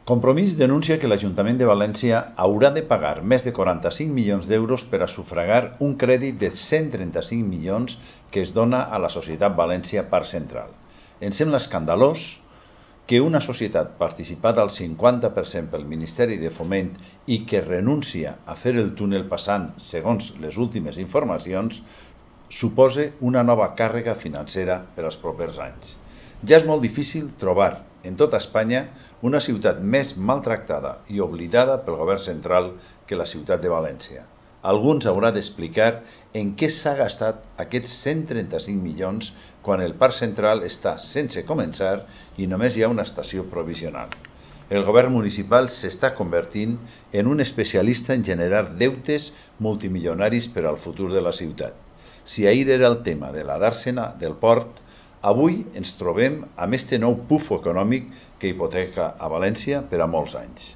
Compromís denuncia que l'Ajuntament de València haurà de pagar més de 45 milions d'euros per a sufragar un crèdit de 135 milions que es dona a la Societat València Parc Central. Ens sembla escandalós que una societat participada al 50% pel Ministeri de Foment i que renuncia a fer el túnel passant, segons les últimes informacions, supose una nova càrrega financera per als propers anys. Ja és molt difícil trobar en tota Espanya una ciutat més maltractada i oblidada pel govern central que la ciutat de València. Alguns haurà d'explicar en què s'ha gastat aquests 135 milions quan el parc central està sense començar i només hi ha una estació provisional. El govern municipal s'està convertint en un especialista en generar deutes multimilionaris per al futur de la ciutat. Si ahir era el tema de la dàrsena del port, avui ens trobem amb este nou pufo econòmic que hipoteca a València per a molts anys.